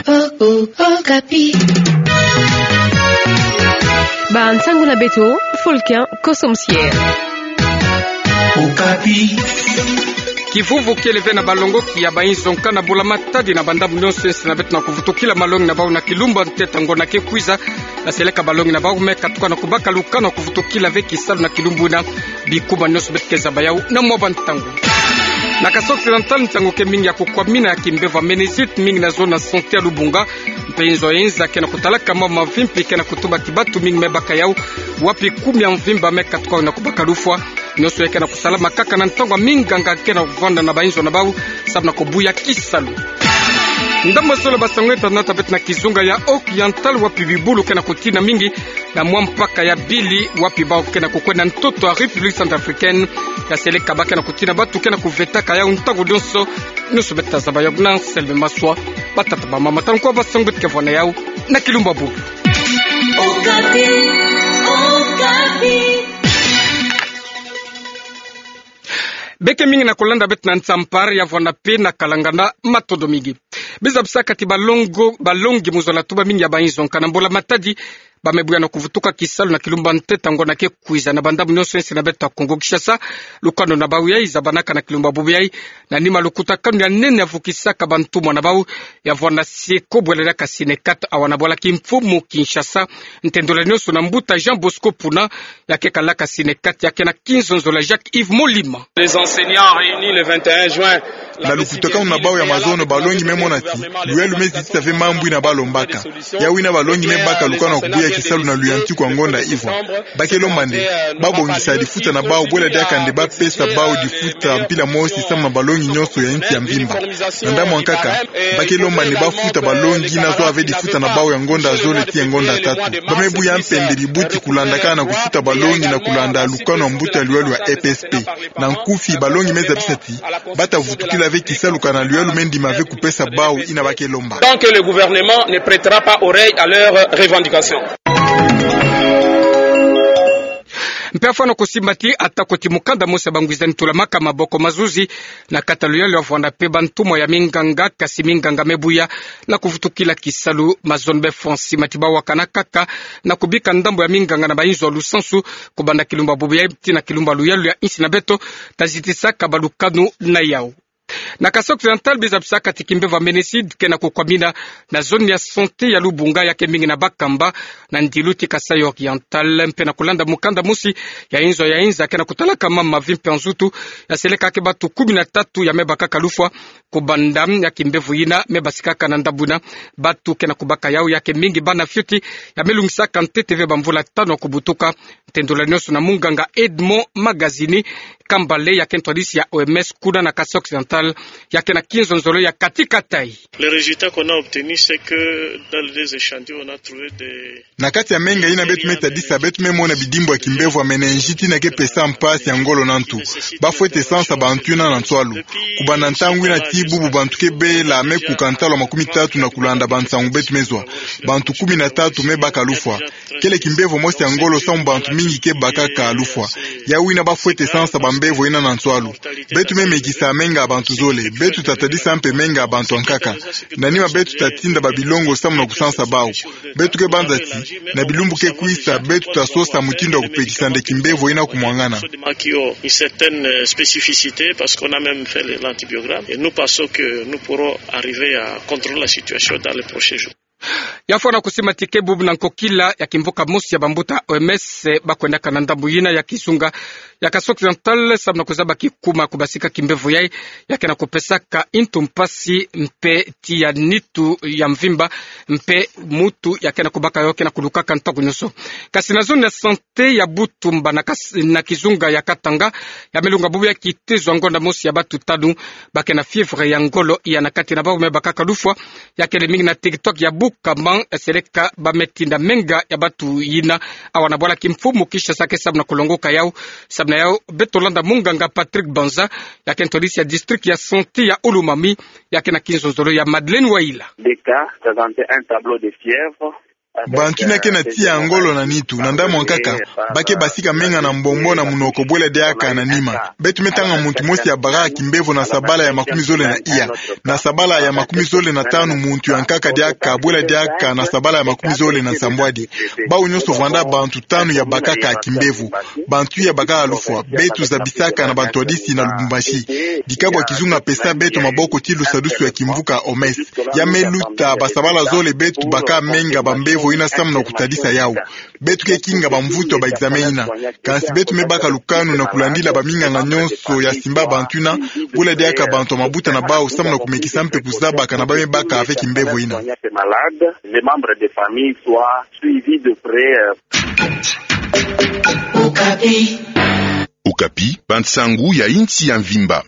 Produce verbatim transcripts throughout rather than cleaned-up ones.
Oh, oh, Okapi. Ba nsangu na beto, Fulkin Kosomsier. Okapi. Kivuvu kiele ve na balongoki ya bainzo nkana mbula matadi na bandambu nyonso ensi na beto na kuvutukila malongi na bau na kilumbu ntete ngonda ke kwiza, na seleka balongi na bau me katuka na kubaka lukanu na kuvutukila ve kisalu na kilumbu na bikuma nyonso beto ke zaba yau na mwa bantangu. Na Kasaï Occidental, nsangu ke mingi ya kukwamina ya kimbevo ya méningite mingi na zone ya santé ya Lubunga. Mpe inzo ya inza ke na kutalaka mwa mavimpi ke na kutuba ti batu mingi me baka yau, wapi kumi ya mvimba me katuka na kubaka lufwa. Nyonso ya ke na kusalama kaka na ntangu ya minganga ke na kuvanda na bainzo na bau, samu na kubuya kisalu. Ndambu ya zole, basango ya tata na beto na kizunga ya Occidental, wapi bibulu ke na kutina mingi na mwa mpaka ya Bili, wapi bau ke na kukwenda ntoto ya République Centrafricaine. Ya seleka ba ke na kutina batu ke na kuvetaka yau ntangu nyonso. Nyonso beto ta zaba yau na Anselme Maswa. Batata, bamama, tala nkwa basango beto ke vwa na yau na kilumbu bubu. Okapi, Okapi. Beke mingi na kulanda beto na Nsampar, ya vwanda mpe na Kalangana, matondo mingi. Biza bisaka ti balongo, balongi mu zola tuba mingi ya bainzo nkana mbula matadi, ba me buya na kuvutuka kisalu na kilumbu ntete ngonda ke kwiza na bandambu nyonso ensi na beto ya Kongo Kinshasa. Lukanu na bau yai zabanaka na kilumbu bubu yai, na nima lukutakanu ya nene ya vukisaka bantumwa na bau, ya vwanda SIECO, bwela diaka Synecat, awa na bwala kimfumu Kinshasa. Ntendolo nyonso na mbuta Jean Bosco Puna, ya ke kalaka Synecat, ya ke na kinzonzolo ya Jacques Yves Molima. Les enseignants réunis le vingt et un juin. Na lukutakanu na bau ya mazono, balongi me mona ti luyalu me zitisa ve mambu ina ba lombaka. Yau ina balongi me baka lukanu na kubuya kisalu na luyantiku ya ngonda ivwa. Ba ke lomba nde ba bongisa difuta na bau, bwela diaka nde ba pesa bau difuta mpila mosi samu na balongi nyonso ya insi ya mvimba. Na ndambu ya nkaka, ba ke lomba nde ba futa balongi ina zwa ve difuta na bau ya ngonda zole tii ya ngonda tatu. Ba me buya mpe nde bibuti kulandakana na kufuta balongi na kulanda lukanu ya mbuta ya luyalu ya E P S P. Na nkufi, balongi me zabisa ti ba ta vutukila ve kisalu kana luyalu me ndima ve kupesa bau ina ba ke lomba. Tant que le gouvernement ne prêtera pas oreille à leurs revendications. Mpe afwana kusimba ti atako ti mukanda mosi ya bangwizani tulamaka maboko mazuzi na kati ya luyalu, ya vwanda mpe bantumwa ya minganga, kasi minganga me buya na kuvutukila kisalu. Mazono be Francis Matiba wakana kaka na kubika ndambu ya minganga na bainzo ya lusansu, kubanda kilumbu bubu yai tii na kilumbu luyalu ya insi na beto, ta zitisaka balukanu na yau. Na Kasaï Occidental, biza bisaka ti kimbevo ya méningite ke na kukwamina na zone ya santé ya Lubunga, ya ke mingi na bakamba na ndilu ti Kasaï Oriental. Mpe na kulanda mukanda mosi ya inzo ya inza ke na kutalaka mama mavimpi ya nzutu, ya seleka ke batu kumi na tatu ya me bakaka lufwa, kubanda ya kimbevo ina me basikaka na ndambu ina. Batu ke na kubaka yau ya ke mingi bana fioti ya me lungisaka ntete ve bamvula tanu ya kubutuka. Ntendolo nyonso na munganga Edmond Magazini Kambale, ya ke ntwadisi ya O M S kuna na Kasaï Occidental, ya ke na kinzonzolo ya Kati Kataï. Les résultats qu'on a obtenus, c'est que dans les échantillons, on a trouvé des... Na kati ya menga ina beto me tadisa, beto me mona bidimbu ya kimbevo ya méningite ina ke pesa mpasi ya ngolo na ntu. Ba fwete sansa bantu ina na nswalu. Kubanda ntangu ina tii bubu, bantu ke bela me kuka ntalu ya makumi tatu na kulanda bansangu beto me zwa. Bantu kumi na tatu me baka lufwa. Kele kimbevo mosi ya ngolo samu bantu mingi ke bakaka lufwa. Yau ina ba fwete sansa bambevo ina na nswalu. Beto me mekisa menga ya bantu zole. Beto ta tadisa mpe menga ya bantu ya nkaka. Na nima beto ta tinda babilongo samu na kusansa bau. Beto ke banza ti na bilumbu ke kwisa, beto ta sosa mutindu ya kupekisa nde kimbevo ina kumwangana. Qui ont une certaine, euh, spécificité, parce qu'on a même fait le, l'antibiogramme, et nous pensons que nous pourrons arriver à contrôler la situation dans les prochains jours. Ya fwana kusimba ti ke bubu na nkokila ya kimvuka mosi ya bambuta O M S, eh, ba kwendaka na ndambu ina ya kizunga ya Kasaï Occidental samu na kuzaba kikuma kubasika kimbevo yai, ya ke na kupesaka ntu mpasi mpe tiya nitu ya mvimba, mpe mutu ya ke na kubaka yo ke na kulukaka ntangu nyonso. Kasi na zone ya santé ya Butumba na Kas-, na kizunga ya Katanga, ya me lunga bubu yai kitezo ya ngonda mosi ya batu tanu ba ke na fièvre ya ngolo, ya na kati na bau me bakaka lufwa. Ya kele mingi na territoire ya Bukama, seleka ba me tinda menga ya batu ina awa na bwala kimfumu Kinshasa ke samu na kulongoka yau. Samu na yau beto landa munganga Patrick Banza, ya ke ntwadisi ya district ya santé ya Ouloumami, ya ke na kinzonzolo ya Madeleine Waila. Des cas, présentait un tableau de fièvre. Bantu yina ke na tiya ngolo na nitu, na ndambu ankaka, ba ke basika menga na mbombo na munoko bwela diaka na nima. Beto me tanga muntu mosi ya bakaka kimbevo na sabala ya makumi zole na iya, na sabala ya makumi zole na tanu muntu ya nkaka diaka, bwela diaka na sabala ya makumi zole na nsambwadi. Bawu nyonso vwanda bantu tanu ya bakaka kimbevo. Bantu ya bakaka lufwa, beto zabisaka na bantwadisi na Lubumbashi. Dikabwa kizunga pesa beto maboko ti lusadusu ya kimvuka O M S. Ya me luta basabala zole beto baka menga bambevo yina samu na kutadisa yawu. Beto ke kinga bamvutu ya ba examen yina. Kansi beto me baka lukanu na kulandila baminganga nyonso ya simba bantu yina, bwela diaka bantu ya mabuta na bawu samu na kumekisa mpe kuzabaka na ba me baka avec mbevo yina. Okapi, bansangu ya insi ya mvimba.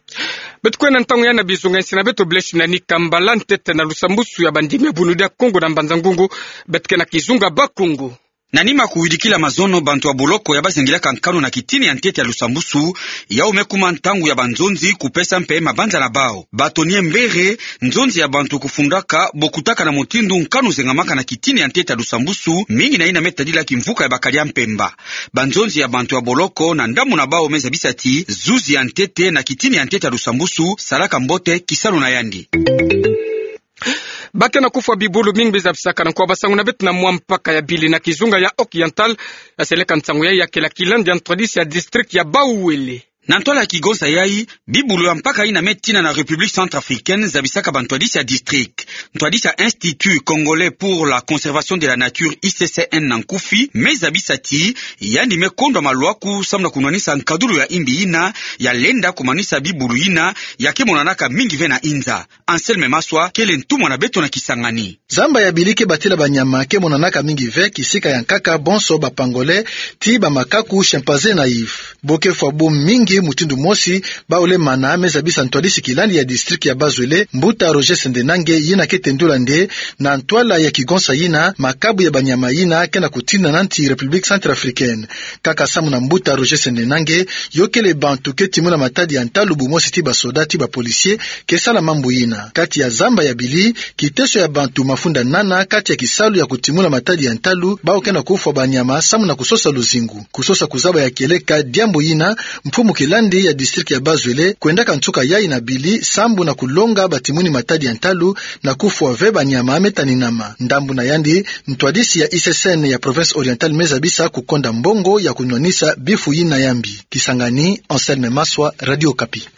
Beto kwenda ntangu ya na bizunga insi na beto Blaise Ndani Kambala, ntete na lusambusu ya bandimi ya Bunu dia Kongo na Mbanza Ngungu. Beto ke na kizunga Bakongo. Na nima kuwidikila mazono, bantu ya boloko ya bazengilaka nkanu na kitini ya ntete ya lusambusu, yawu me kuma ntangu ya banzonzi kupesa mpe mabanza na bawu. Bato nie mbere, nzonzi ya bantu kufundaka, bokutaka na mutindu nkanu zengamaka na kitini ya ntete ya lusambusu, mingi na yina me tadila kimvuka ya bakadi ya mpemba. Banzonzi ya bantu ya boloko na ndambu na bawu me zabisa ti zuzi ya ntete na kitini ya ntete ya lusambusu salaka mbote kisalu na yandi. Ba ke na kufwa bibulu mingi bizabisaka na nkwa basangu na beto na mwa mpaka ya bili na kizunga ya Occidental, ya seleka nsangu yayi ya kela kilandi ya ntwadisi ya district ya Bas-Uele. Na ntwala ya kigonsa yayi, bibulu ya mpaka yina me tina na République Centrafricaine zabisaka bantwadisi ya district. Ntwadisi ya Institut Congolais pour la Conservation de la Nature, I C C N na nkufi, me zabisa ti yandi me kondwa maluaku samu na kunwanisa nkadulu ya imbi yina ya lenda kumanisa bibulu yina ya ke monanaka mingi ve na inza. Anselme Maswa kele ntumwa na beto na kisangani. Zamba ya bili ke batela banyama ke monanaka mingi ve kisika ya nkaka bonso ba pangolin, ti ba makaku, chimpanzé na yves. Bo ke fwa bo mingi mutindu mosi, Bas-Uele mana me zabisa ntwadisi kilandi ya district ya Bas-Uele, mbuta Roger Sendenange, yina ke tendula nde na ntwala ya kigonsa yina makabu ya banyama yina ke na kutina na nsi République Centrafricaine. Kaka samu na mbuta Roger Sendenange, yo kele bantu ke timuna matadi ya ntalu bumosi ti basoda ti ba policier ke sala mambu yina. Kati ya zamba ya bili, kiteso ya bantu mafunda nana kati ya kisalu ya kutimuna matadi ya ntalu, bawu ke na kufwa banyama samu na kusosa luzingu. Kusosa kuzaba ya kieleka diambu yina, mfumu kilandi ya district ya Bas-Uele kwendaka nsuka yayi na bili sambu na kulonga batimuni matadi ya ntalu na kufwa ve banyama me taninama. Ndambu na yandi, ntwadisi ya I C C N ya province orientale me zabisa kukonda mbongo ya kunwanisa bifu yina ya mbi. Kisangani, Anselme Maswa, Radio Okapi.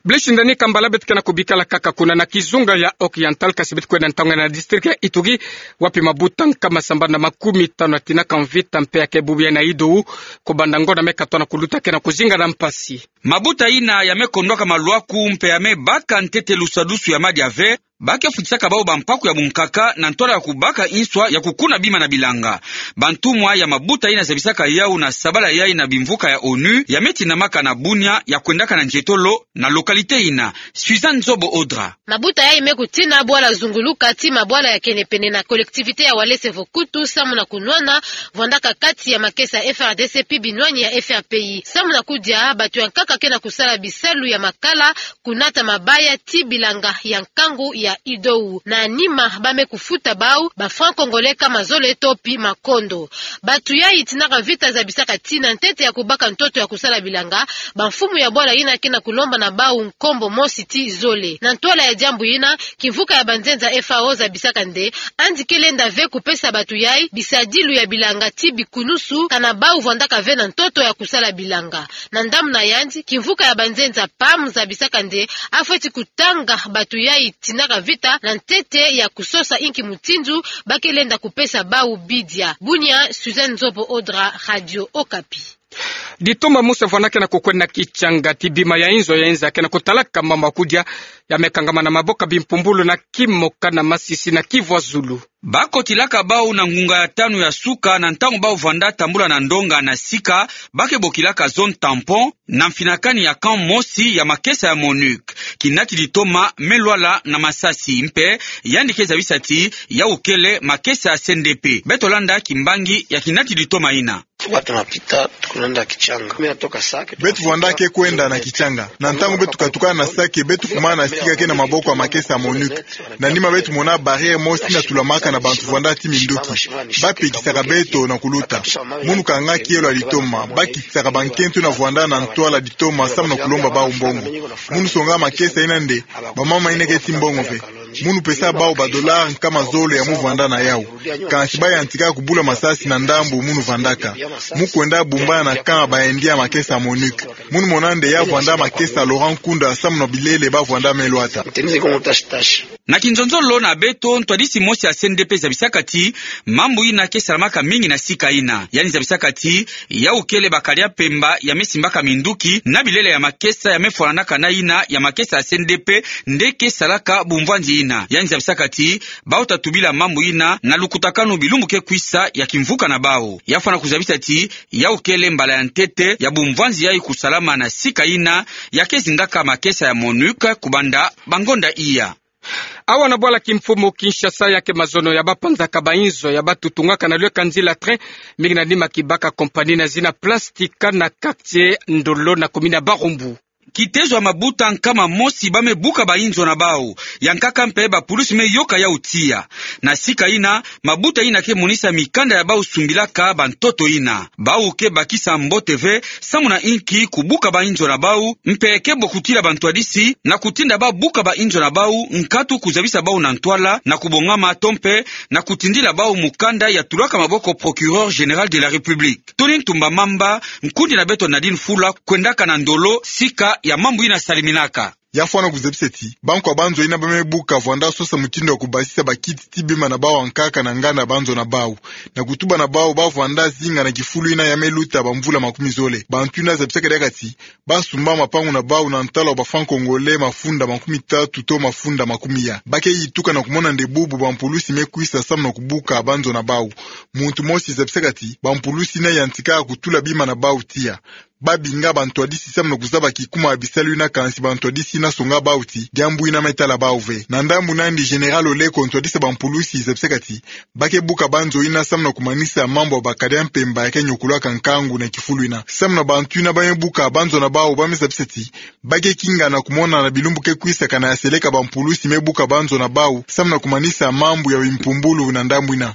Blaise Ndani Kambala, beto ke na kubikala kaka kuna na kizunga ya Occidental, kasi beto kwenda ntangu ya na district ya Ituri, wapi mabuta nkama sambanu na makumi tanu ya tinaka mvita mpe ya ke bubu ya na Ido, kubanda ngonda me katwa na kuluta ke na kuzinga na mpasi. Mabuta yina ya me kondwaka maluaku mpe ya me baka ntete lusadusu ya madia ve, ba ke futisaka bawu bampaku ya bunkaka na ntwala ya kubaka inswa ya kukuna bima na bilanga. Bantumwa ya mabuta yina zabisaka yawu na sabala yayi na bimvuka ya onu ya me tinamaka na Bunia ya kwendaka na nzietolo na localité yina. Suzanne Zobo Odra. Mabuta yayi me kutina bwala zunguluka ti mabwala ya kene pene na collectivité ya Walese Vokutu samu na kunwana, vwandaka kati ya makesa ya F R D C pi binwani ya F R P I. Samu na kudia, bato ya nkaka ke na kusala bisalu ya makala, kunata mabaya ti bilanga ya nkangu ya Ido. Na nima ba me kufuta bawu ba francs congolais nkama zole to pi makondo. Bato yayi tinaka mvita zabisaka ti na ntete ya kubaka ntoto ya kusala bilanga, bamfumu ya bwala yina ke na kulomba na bawu nkombo mosi ti zole. Na ntwala ya diambu yina, kimvuka ya banzenza F A O zabisaka nde yandi ke lenda ve kupesa bato yayi bisadilu ya bilanga ti bikunusu, kana bawu vwandaka ve na ntoto ya kusala bilanga. Na ndambu na yandi, kimvuka ya banzenza P A M zabisaka nde afweti kutanga bato yayi tinaka mvita na ntete ya kusosa inki mutindu ba ke lenda kupesa bawu bidia. Bunia, Suzanne Zobo Odra, Radio Okapi. Ditoma mosi vwanda ke na kukwenda na kitianga ti bima ya inzo ya inza ke na kutalaka mama kudia, ya me kangama na maboko ya bimpumbulu na Kimoka na Masisi na Kivu ya Zulu. Ba kotilaka bawu na ngunga ya tanu ya suka na ntangu bawu vwanda tambula na ndonga na sika ba ke bokilaka zone tampon na mfinakani ya camp mosi ya makesa ya MONUC. Kinati ditoma Me Lwala na Masasi mpe yandi ke zabisa ti yawu kele makesa ya C N D P. Beto landa kimbangi ya kinati ditoma yina. Watu wanapita, tunaenda Kichanga. Mimi natoka Sake. Beto vwandaka kwenda na Kichanga. Na ntangu beto katukana na Sake, beto kumana sika ke na maboko ya makesa ya MONUC. Na nima beto mona barrière mosi yina tulamaka na bantu vwanda ti minduki. Bapekisaka beto na kuluta. Munu kanga kielo ya litoma. Bakitisaka bankento yina vwanda na ntwala litoma samu na kulomba bawu mbongo. Munu songa makesa yina nde, bamama yina keti mbongo ve. Munu pesa bawu ba dollars nkama zole ya mu vwanda na yawu. Kansi bayantika kubula masasi na ndambu munu vandaka. Mu kwenda bumbana na camp ba Indiens ya makesa ya MONUC. Munu mona nde ya vwanda makesa Laurent Nkunda samu na bilele ba vwanda me lwata. Na kinzonzolo na beto, ntwadisi mosi ya C N D P zabisaka ti mambu yina ke salamaka mingi na sika yina. Yandi zabisaka ti yawu kele bakadi ya mpemba ya me simbaka minduki na bilele ya makesa ya me fwananaka na yina ya makesa ya C N D P nde ke salaka bumvwanzi yina. Yandi zabisaka ti bawu ta tubila mambu yina na lukutakanu bilumbu ke kwisa ya kimvuka na bawu. Ya fwana kuzabisa ti yawu kele mbala ya ntete ya bumvwanzi yayi kusalama na sika yina ya ke zindaka makesa ya MONUC kubanda bangonda iya. Awa na bwala kimfumu Kinshasa, ya ke mazono ya bapanzaka bainzo ya batutungaka na lweka nzila train, mingi na nima kibaka compagnie na zina Plastica na quartier Ndolo na commune ya Barumbu. Kitezo ya mabuta nkama mosi ba me buka bainzo na bawu, ya nkaka mpe bapulusi me yoka yawu tiya. Na sika yina, mabuta yina ke monisa mikanda ya bawu sumbilaka bantoto yina. Bawu ke bakisa mbote ve samu na inki kubuka bainzo na bawu, mpe ke bokutila bantwadisi na kutinda ba buka bainzo na bawu nkatu kuzabisa bawu na ntwala na kubongama to mpe na kutindila bawu mukanda ya tulaka maboko Procureur Général de la République. Tony Ntumba Mamba, nkundi na beto Nadine Fula, kwendaka na Ndolo, sika ya mambu yina saliminaka. Ya fwana kuzabisa ti bankwa banzo yina ba me buka vwanda sosa mutindu ya kubasisa bakiti ti bima na bawu ya nkaka na nganda banzo na bawu, na kutuba na bawu ba vwanda zinga na kifulu yina ya me luta bamvula makumi zole. Bantu yina zabisaka diaka ti ba sumba mapangu na bawu na ntala wa ba francs congolais mafunda makumi tatu to mafunda makumi ya. Ba ke yituka na kumona nde bubu bampulusi me kwisa samu na kubuka banzo na bawu. Muntu mosi zabisaka ti bampulusi yina yantika kutula bima na bawu tiya. Ba binga bantwadisi samu na kuzaba kikuma ya bisalu yina, kansi bantwadisi yina songa bawu ti diambu yina me tala bawu ve. Na ndambu nandi, Général Oleko, ntwadisi ya bampulusi, zabisaka ti ba ke buka banzo yina samu na kumanisa mambu ya bakadi ya mpemba ya ke nyokulaka nkangu na kifulu yina. Samu na bantu yina ba me buka banzo na bawu, ba me zabisa ti ba ke kinga na kumona na bilumbu ke kwisa kana ya seleka bampulusi me buka banzo na bawu samu na kumanisa mambu ya bimpumbulu na ndambu yina.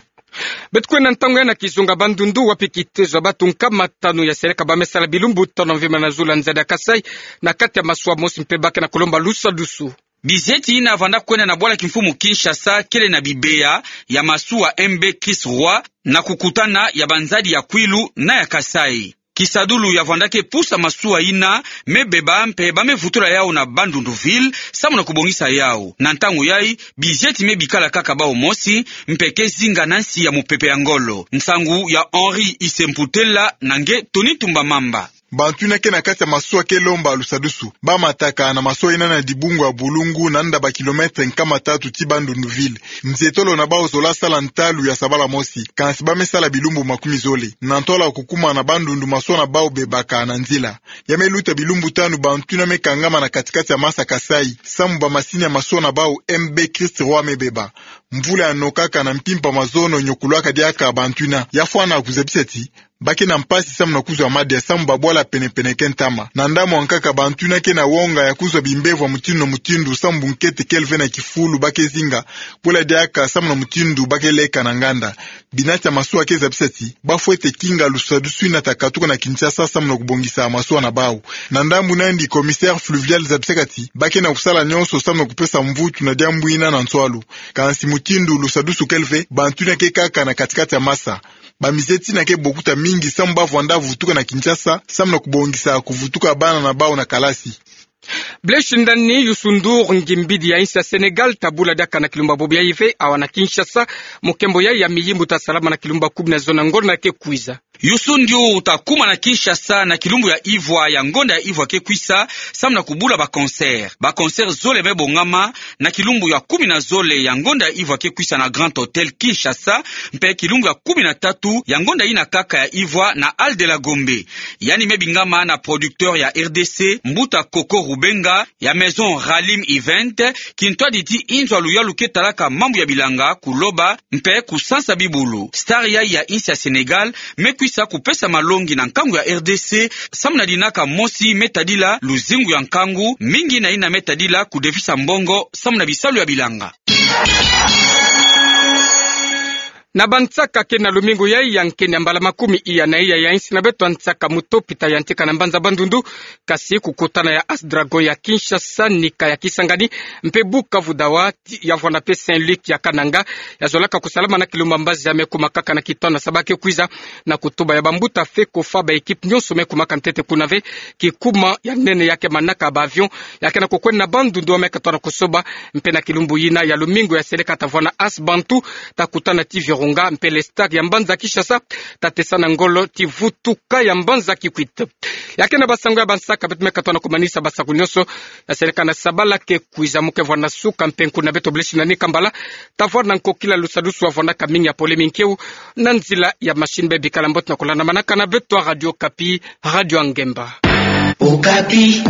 Beto kwenda ntangu ya na kizunga Bandundu, wapi kitezo ya batu nkama tanu ya seleka ba me sala bilumbu tanu mvimba na zulu ya nzadi ya Kasaï, na kati ya masuwa mosi mpe ba ke na kulomba lusadusu. Bizeti yina vanda kwenda na bwala kimfumu Kinshasa kele na bibeya ya masuwa M B Christ Roi na kukutana ya banzadi ya Kwilu na ya Kasaï. Kisadulu ya vanda ke pusa masuwa yina me beba mpe ba me vutula yawu na Bandundu ville samu na kubongisa yawu. Na ntangu yayi, bizeti me bikala kaka bawu mosi, mpe ke zinga na nsi ya mupepe ya ngolo. Nsangu ya Henri Isemputela na nge Tony Ntumba Mamba. Bantu yina ke na kati ya masuwa ke lomba lusadusu. Ba mataka na masuwa yina na dibungu ya Bulungu, na nda ba kilomètre nkama tatu ti Bandundu ville. Nzietolo na bawu zola sala ntalu ya sabala mosi, kansi ba me sala bilumbu makumi zole na ntwala ya kukuma na Bandundu. Masuwa na bawu bebaka na nzila. Ya me luta bilumbu tanu bantu yina me kangama na kati-kati ya masa Kasaï samu ba masini ya masuwa na bawu M B Christ Roi me beba. Mvula ya nokaka na mpimpa mazono nyokulaka diaka bantu yina. Ya fwana kuzabisa ti ba ke na mpasi samu na kuzwa madia samu ba bwala pene-pene ke ntama. Na ndambu ya nkaka, bantu yina ke na wonga ya kuzwa bimbevo ya mutindu na mutindu samu bunkete kele ve na kifulu ba ke zinga, bwala diaka samu na mutindu ba ke leka na nganda. Binati ya masuwa ke zabisa ti ba fwete kinga lusadusu yina ta katuka na Kinshasa samu na kubongisa masuwa na bawu. Na ndambu nandi, commissaire fluvial zabisaka ti ba ke na kusala nyonso samu na kupesa mvutu na diambu yina na nswalu. Kansi mutindu lusadusu kele ve, bantu yina ke kaka na kati-kati ya masa. Bamizeti yina ke bokuta mingi samu ba vwanda vutuka na Kinshasa samu na kubongisa kuvutuka bana na bawu na kalasi. Blaise Ndani, Youssou N'Dour, ngimbidi ya insi ya Sénégal, ta bula diaka na kilumba bobo yayi ve awa na Kinshasa. Mukembo yayi ya miyimbu ta salama na kilumba kumi na zole na ngolo yina ke kwiza. Youssou N'Dour ta kuma na Kinshasa na kilumbu ya ivwa ya ngonda ya ivwa ke kwisa, samu na kubula ba concert. Ba concert zole me bongama na kilumbu ya kumi na zole ya ngonda ya ivwa ke kwisa na Grand Hôtel Kinshasa, mpe kilumbu ya kumi na tatu ya ngonda yina kaka ya ivwa na Hall de la Gombe. Yandi me bingama na producteur ya R D C, mbuta Coco Rubenga, ya maison Ralim Event, kintwadi ti inzo ya luyalu ke talaka mambu ya bilanga, kuloba, mpe kusansa bibulu. Star yayi ya insi ya Sénégal me kwisa sa kupesa malongi na nkangu ya R D C, samu na dinaka mosi me tadila luzingu ya nkangu, mingi na yina me tadila kudefisa mbongo samu na bisalu ya bilanga. Na bansaka ke na lumingu yai ya nkeni ya mbala makumi iya na iya ya insi na beto ya nsaka mu topita ya ntika na mbanza Bandundu, kasi kukutana ya As Dragon ya Kinshasa, nika ya Kisangani, mpe Bukavu Dawa, ti-, ya vwanda mpe Saint-Luc ya Kananga, ya zolaka kusalama na kilumbu ya mbazi ya me kumakaka na kitono saba ke kwiza, na kutuba ya bambuta Fecofa, ba équipe nyonso me kumaka ntete kuna ve, kikuma ya nene ya ke manaka ba avion, ya ke na kukwenda na Bandundu wa me katona kusoba, mpe na kilumbu yina ya lumingu ya seleka ta vwanda As Bantu, ta kutana ti Virunga, mpe le stade ya mbanza Kinshasa, ta tesa na ngolo ti vutuka ya mbanza Kikwit. Ya ke na basango ya bansaka, beto me katona kumanisa basaku nyonso, ya seleka na sabala ke kwiza mu ke vwanda suka, mpe nkuna beto Blaise Nani Kambala, ta vwanda nkokila lusadusu wa vwandaka mingi ya pole minkiu, na nzila ya machine. Be bikala mbote na kulanda manaka na beto ya Radio Okapi, radio ya ngemba. Okapi.